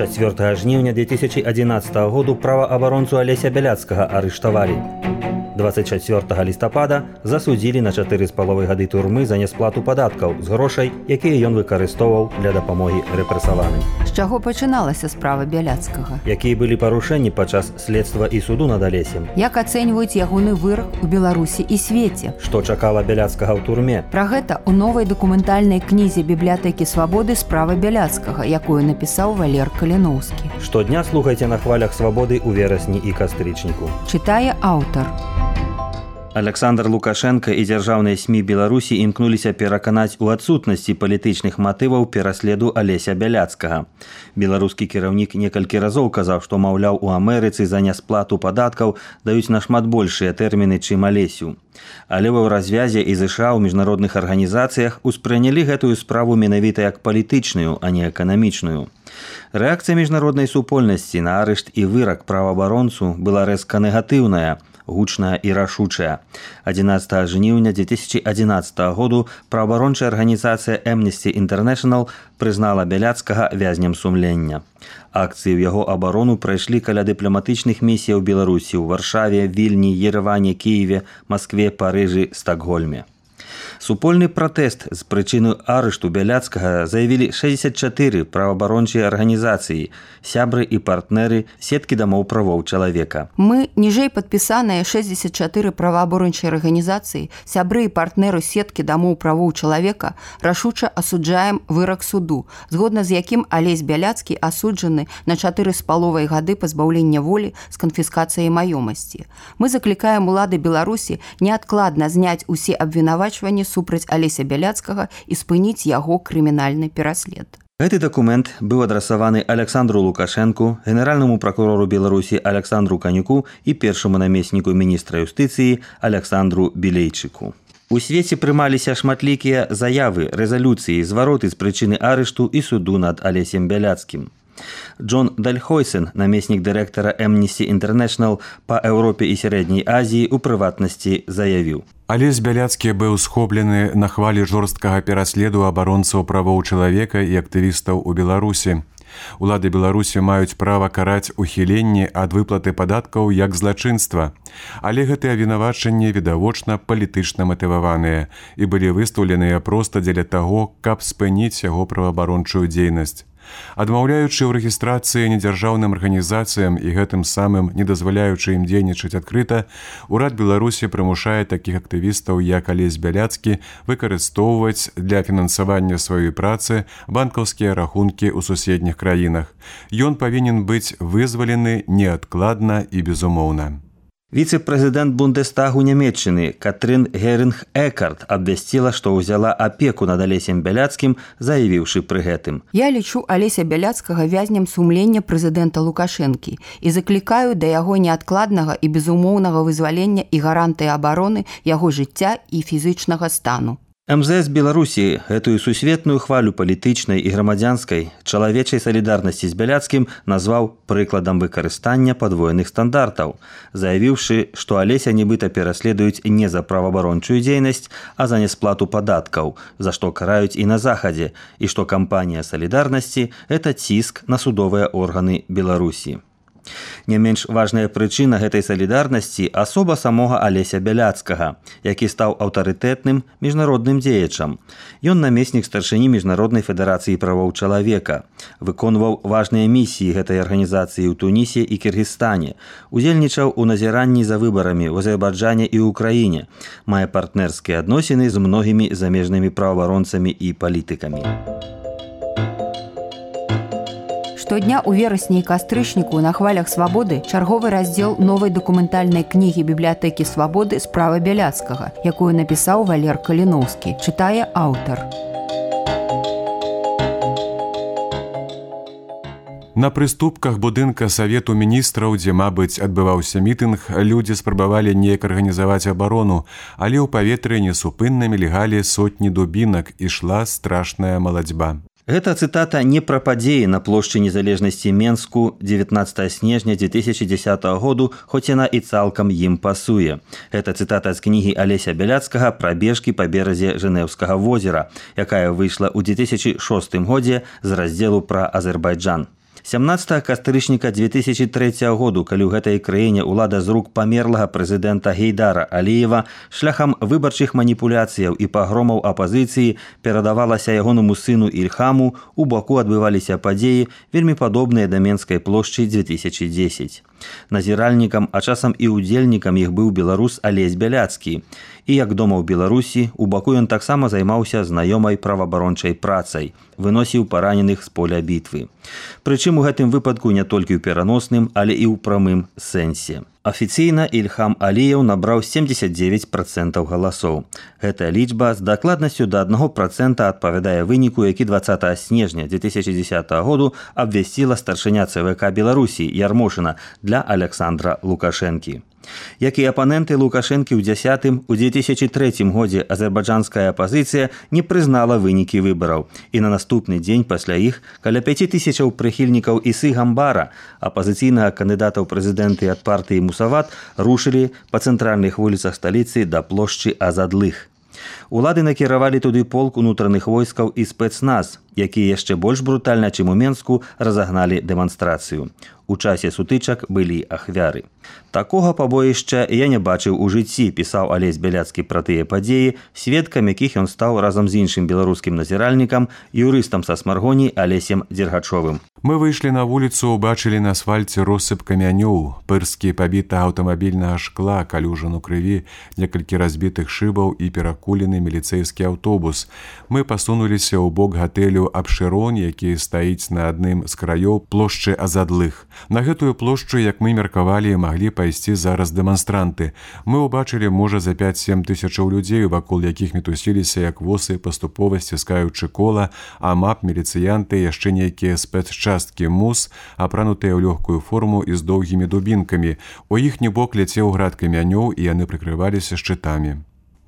4 жніўня 2011 году праваабаронцу Алеся Бяляцкага арыштавалі. 24 лістапада засудзілі на 4,5 гады турмы за нясплату падаткаў з грошай, якія ён выкарыстоўваў для дапамогі рэпрэсаваным. З чаго пачыналася справа Бяляцкага? Якія былі парушэнні падчас следства і суду над Алесем? Як ацэньваюць ягоны вырак у Беларусі і свеце? Што чакала Бяляцкага ў турме? Пра гэта ў новай дакументальнай кнізе бібліятэкі свабоды «Справа Бяляцкага», якую напісаў Валер Каліноўскі. Штодня слухайце на хвалях свабоды ў верасні і кастрычніку. Чытае аўтар. Александр Лукашенко і дзяржаўныя СМІ Беларусі імкнуліся пераканаць у адсутнасці палітычных матываў пераследу Алеся Бяляцкага. Беларускі кіраўнік некалькі разоў казаў, што, маўляў, у Амерыцы за нясплату падаткаў даюць нашмат большыя тэрміны, чым Алесю. Але ў развязе і ЗША ў міжнародных арганізацыях успрынялі гэтую справу менавіта як палітычную, а не эканамічную. Рэакцыя міжнароднай супольнасці на арышт і вырак праваабаронцу была рэзка негатыўная, гучная і рашучая. 11 жніўня 2011 году праваабарончая арганізацыя Amnesty International прызнала Бяляцкага вязнем сумлення. Акцыі ў яго абарону прайшлі каля дыпламатычных місій у Беларусі ў Варшаве, Вільні, Ереване, Кіеве, Маскве, Парыжы, Стакгольме. Супольны пратэст з прычыны арышту Бяляцкага заявілі 64 праваабарончыя арганізацыі, сябры і партнеры сеткі дамоў правоў чалавека. Мы, ніжэй падпісаныя 64 праваабарончыя арганізацыі, сябры і партнеры сеткі дамоў правоў чалавека, рашуча асуджаем вырак суду, згодна з якім Алесь Бяляцкі асуджаны на 4,5 гады пазбаўлення волі з канфіскацыяй маёмасці. Мы заклікаем улады Беларусі неадкладна зняць усе абвінавачванні супраць Алеся Бяляцкага і спыніць яго крымінальны пераслед. Гэты дакумент быў адрасаваны Александру Лукашенку, генеральнаму пракурору Беларусі Александру Канюку і першаму намесніку міністра юстыцыі Александру Білейчыку. У свеце прымаліся шматлікія заявы, рэзалюцыі, звароты з прычыны арышту і суду над Алесем Бяляцкім. Джон Дальхойсен, намеснік дырэктара Amnesty International па Еўропе і Сярэдняй Азіі, у прыватнасці заявіў: Алесь Бяляцкі быў схоплены на хвалі жорсткага пераследу абаронцаў правоў чалавека і актывістаў у Беларусі. Улады Беларусі маюць права караць ухіленне ад выплаты падаткаў як злачынства, але гэтыя абвінавачанні відавочна палітычна матываваныя і былі выстаўленыя проста дзеля таго, каб спыніць яго праваабарончую дзейнасць. Адмаўляючы ў рэгістрацыі недзяржаўным арганізацыям і гэтым самым не дазваляючы ім дзейнічаць адкрыта, урад Беларусі прымушае такіх актывістаў, як Алесь Бяляцкі, выкарыстоўваць для фінансавання сваёй працы банкаўскія рахункі ў суседніх краінах. Ён павінен быць вызвалены неадкладна і безумоўна. Віцэ-прэзідэнт Бундестагу Нямецчыны Катрын Герынг-Экарт абвясціла, што ўзяла апеку над Алесем Бяляцкім, заявіўшы пры гэтым: «Я лічу Алеся Бяляцкага вязнем сумлення прэзідэнта Лукашэнкі і заклікаю да яго неадкладнага і безумоўнага вызвалення і гарантыі абароны яго жыцця і фізычнага стану». МЗС Беларусі гэтую сусветную хвалю палітычнай і грамадзянскай чалавечай салідарнасці з Бяляцкім назваў прыкладам выкарыстання падвойных стандартаў, заявіўшы, што Алеся нібыта пераследуюць не за праваабарончую дзейнасць, а за нясплату падаткаў, за што караюць і на Захадзе, і што кампанія салідарнасці – гэта ціск на судовыя органы Беларусі. Не менш важная прычына гэтай салідарнасці – асоба самога Алеся Бяляцкага, які стаў аўтарытэтным міжнародным дзеячам. Ён намеснік старшыні Міжнароднай федэрацыі правоў чалавека, выконваў важныя місіі гэтай арганізацыі ў Тунісе і Кіргізстане, удзельнічаў у назіранні за выбарамі ў Азербайджане і ўкраіне, мае партнерскія адносіны з многімі замежнымі праваабаронцамі і палітыкамі. Штодня ў верасні і кастрычніку на хвалях свабоды чарговы раздзел новай дакументальнай кнігі бібліятэкі свабоды «Справа Бяляцкага», якую напісаў Валер Каліноўскі, чытае аўтар. На прыступках будынка Савету міністраў, дзе, мабыць, адбываўся мітынг, людзі спрабавалі неяк арганізаваць абарону, але ў паветры несупынна мільгалі сотні дубінак, ішла страшная малацьба. Гэта цытата не пра падзеі на плошчы незалежнасці Менску 19 снежня 2010 году, хоць яна і цалкам ім пасуе. Гэта цытата з кнігі Алеся Бяляцкага «Прабежкі па беразе Жэнеўскага возера», якая выйшла ў 2006 годзе з раздзелу пра Азербайджан. 17 кастрычніка 2003 году, калі ў гэтай краіне ўлада з рук памерлага прэзідэнта Гейдара Аліева шляхам выбарчых маніпуляцыяў і пагромаў апазіцыі перадавалася ягонаму сыну Ільхаму, у Баку адбываліся падзеі, вельмі падобныя да Менскай плошчы 2010. Назіральнікам, а часам і удзельнікам іх быў беларус Алесь Бяляцкі. І як дома ў Беларусі, у Баку ён таксама займаўся знаёмай праваабарончай працай, выносіў параненых з поля бітвы. Прычым у гэтым выпадку не толькі ў пераносным, але і ў прамым сэнсе. Афіцыйна Ільхам Аліеў набраў 79% галасоў. Гэтая лічба з дакладнасцю да 1% адпавядае выніку, які 20 снежня 2010 году абвясціла старшыня ЦВК Беларусі Ярмошына для Александра Лукашэнкі. Як і апаненты Лукашэнкі ў 2003 годзе азербайджанская апазіцыя не прызнала вынікі выбараў. І на наступны дзень пасля іх каля 5000 прыхільнікаў Ісы Гамбара, апазіцыйнага кандыдата ў прэзідэнты ад партыі Мусават, рушылі па цэнтральных вуліцах сталіцы да плошчы Азадлых. Улады накіравалі туды полк унутраных войскаў і спецназ, якія яшчэ больш брутальна, чым у Менску, разагналі дэманстрацыю. У часе сутычак былі ахвяры. Такога пабоішча я не бачыў у жыцці, пісаў Алесь Бяляцкі пра тыя падзеі, сведкам якіх ён стаў разам з іншым беларускім назіральнікам, юрыстам са Смаргоні Алесем Дзергачовым. Мы выйшлі на вуліцу, убачылі на асфальце россып камянёў, пырскі пабіта аўтамабільнага шкла, калюжану крыві, некалькі разбітых шыбаў і перакулены міліцэйскі аўтобус. Мы пасунуліся ў бок гатэлю Абшырон, які стаіць на адным з краёў плошчы Азадлых. На гэтую плошчу, як мы меркавалі, маглі пайсці зараз дэманстранты. Мы ўбачылі, можа, за 5-7 тысячаў людзей, вакол якіх мітусіліся як восы, паступова сціскаючы кола, а мап, міліцыянты, яшчэ нейкія спецчасткі МУС, апранутыя ў лёгкую форму і з доўгімі дубінкамі. У іхні бок ляцеў град камянёў, і яны прыкрываліся шчытамі.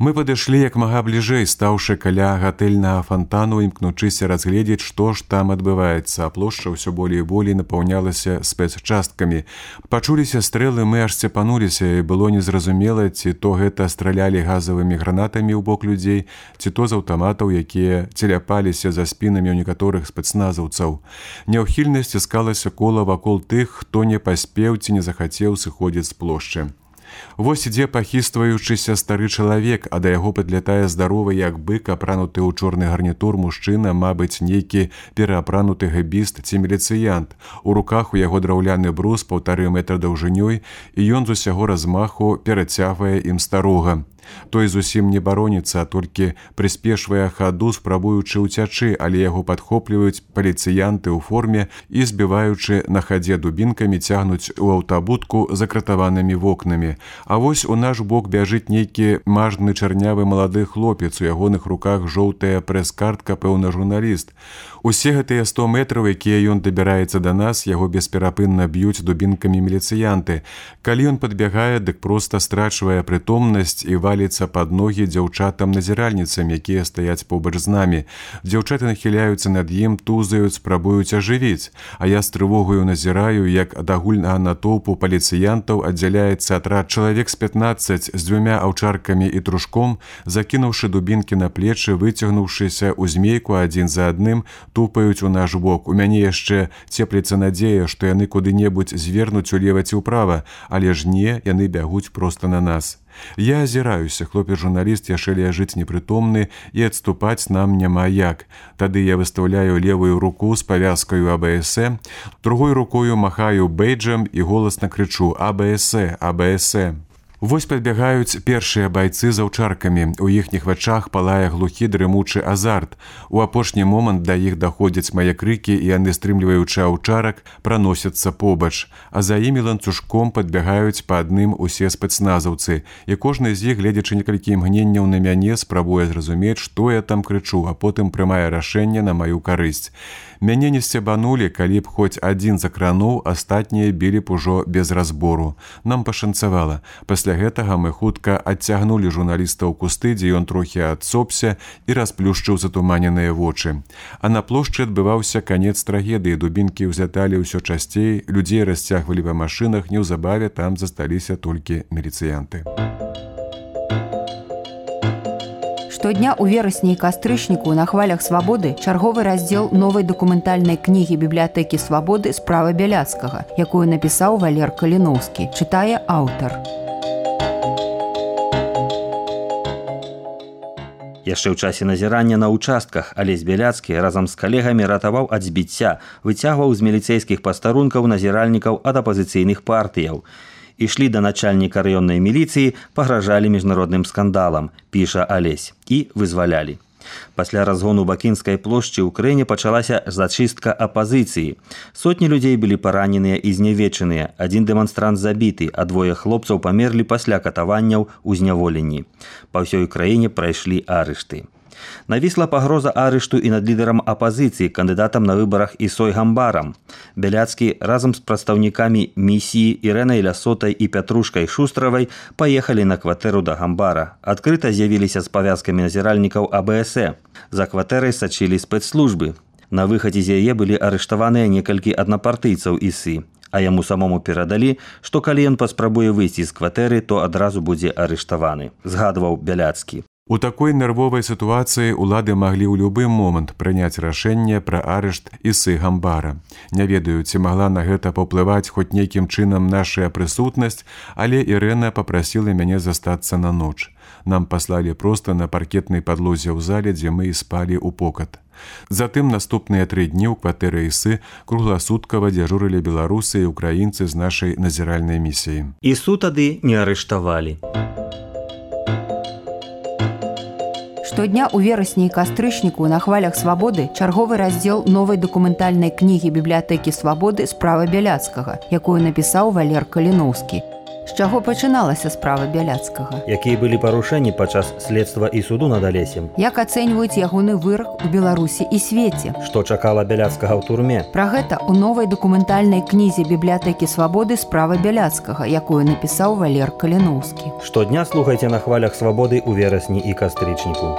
Мы падышлі як мага бліжэй, стаўшы каля гатэльнага фантану, імкнучыся разгледзець, што ж там адбываецца, а плошча ўсё болей і болей напаўнялася спецчасткамі. Пачуліся стрэлы, мы аж цепануліся, і было незразумела, ці то гэта стралялі газавымі гранатамі ў бок людзей, ці то з аўтаматаў, якія целяпаліся за спінамі ў некаторых спецназаўцаў. Няўхільна сціскалася кола вакол тых, хто не паспеў ці не захацеў сыходзіць з плошчы. Вось ідзе пахістваючыся стары чалавек, а да яго падлятае здаровы, як бык, апрануты ў чорны гарнітур мужчына, мабыць, нейкі пераапрануты гэбіст ці міліцыянт. У руках у яго драўляны брус 1,5 метра даўжынёй, і ён з усяго размаху перацягвае ім старога. Той зусім не бароніцца, а толькі прыспешвае хаду, спрабуючы ўцячы, але яго падхопліваюць паліцыянты ў форме і, збіваючы на хадзе дубінкамі, цягнуць у аўтабудку закратаванымі вокнамі. А вось у наш бок бяжыць нейкі мажны чарнявы малады хлопец, у ягоных руках жоўтая прэс-картка, пэўна, журналіст. Усе гэтыя 100 метраў, якія ён дабіраецца да нас, яго бесперапынна б'юць дубінкамі міліцыянты. Калі ён падбягае, дык проста страчвае прытомнасць і валіцца пад ногі дзяўчатам-назіральніцам, якія стаяць побач з намі. Дзяўчаты нахіляюцца над ім, тузаюць, спрабуюць ажывіць, а я з трывогаю назіраю, як ад агульнага натоўпу паліцыянтаў аддзяляецца атрад чалавек з 15 з 2 аўчаркамі і трушком, закінуўшы дубінкі на плечы, выцягнуўшыся ў змейку адзін за адным, тупаюць у наш бок. У мяне яшчэ цепліцца надзея, што яны куды-небудзь звернуць улева ці ўправа, але ж не, яны бягуць проста на нас. Я азіраюся, хлопец-журналіст яшчэ ляжыць непрытомны, і адступаць нам няма як. Тады я выстаўляю левую руку з павязкаю АБС, другой рукою махаю бейджам і голасна крычу «АБС, АБС». Вось падбягаюць першыя байцы з аўчаркамі. У іхніх вачах палае глухі дрымучы азарт. У апошні момант да іх даходзяць мае крыкі, і яны, стрымліваючы аўчарак, праносяцца побач. А за імі ланцужком падбягаюць па адным усе спецназаўцы. І кожны з іх, гледзячы некалькі імгненняў на мяне, спрабуе зразумець, што я там крычу, а потым прымае рашэнне на маю карысць. Мяне не сцябанулі, калі б хоць адзін закрануў, астатнія білі б ужо без разбору. Нам пашанцавала. Пасля гэтага мы хутка адцягнулі журналіста ў кусты, дзе ён трохі адсопся і расплюшчыў затуманеныя вочы. А на плошчы адбываўся канец трагедыі. Дубінкі ўзляталі ўсё часцей, людзей расцягвалі па машынах, неўзабаве там засталіся толькі міліцыянты. Штодня ў верасні і кастрычніку на хвалях свабоды чарговы раздзел новай дакументальнай кнігі бібліятэкі свабоды «Справа Бяляцкага», якую напісаў Валер Каліноўскі, чытае аўтар. Яшчэ ў часе назірання на ўчастках Алесь Бяляцкі разам з калегамі ратаваў ад збіцця, выцягваў з міліцэйскіх пастарункаў назіральнікаў ад апазіцыйных партыяў. Ішлі да начальніка раённай міліцыі, пагражалі міжнародным скандалам, піша Алесь, і вызвалялі. Пасля разгону Бакінскай плошчы ў краіне пачалася зачыстка апазіцыі. Сотні людзей былі параненыя і знявечаныя, адзін дэманстрант забіты, а двое хлопцаў памерлі пасля катаванняў у зняволенні. Па ўсёй краіне прайшлі арышты. Навісла пагроза арышту і над лідарам апазіцыі, кандыдатам на выбарах Ісой Гамбарам. Бяляцкі разам з прадстаўнікамі місіі Ірэнай Лясотай і Пятрушкай Шустравай паехалі на кватэру да Гамбара. Адкрыта з'явіліся з павязкамі назіральнікаў АБС. За кватэрай сачылі спецслужбы. На выхадзе з яе былі арыштаваныя некалькі аднапартыйцаў ІСы. А яму самому перадалі, што калі ён паспрабуе выйсці з кватэры, то адразу будзе арыштаваны, згадваў Бяляцкі. У такой нервовай сітуацыі улады маглі ў любы момант прыняць рашэнне пра арышт Ісы Гамбара. Не ведаю, ці магла на гэта паўплываць хоць нейкім чынам нашая прысутнасць, але Ірэна папрасіла мяне застацца на ноч. Нам паслалі проста на паркетнай падлозе ў зале, дзе мы і спалі ў покат. Затым наступныя 3 дні ў кватэры Ісы кругласуткава дзяжурылі беларусы і украінцы з нашай назіральнай місіі. Ісу тады не арыштавалі. Штодня ў верасні і кастрычніку на хвалях свабоды чарговы раздзел новай дакументальнай кнігі бібліятэкі свабоды «Справа Бяляцкага», якую напісаў Валер Каліноўскі. З чаго пачыналася справа Бяляцкага? Якія былі парушэнні падчас следства і суду над Алесем? Як ацэньваюць ягоны вырак у Беларусі і свеце? Што чакала Бяляцкага ў турме? Пра гэта ў новай дакументальнай кнізе бібліятэкі свабоды «Справа Бяляцкага», якую напісаў Валер Каліноўскі. Штодня слухайце на хвалях свабоды ў верасні і кастрычніку.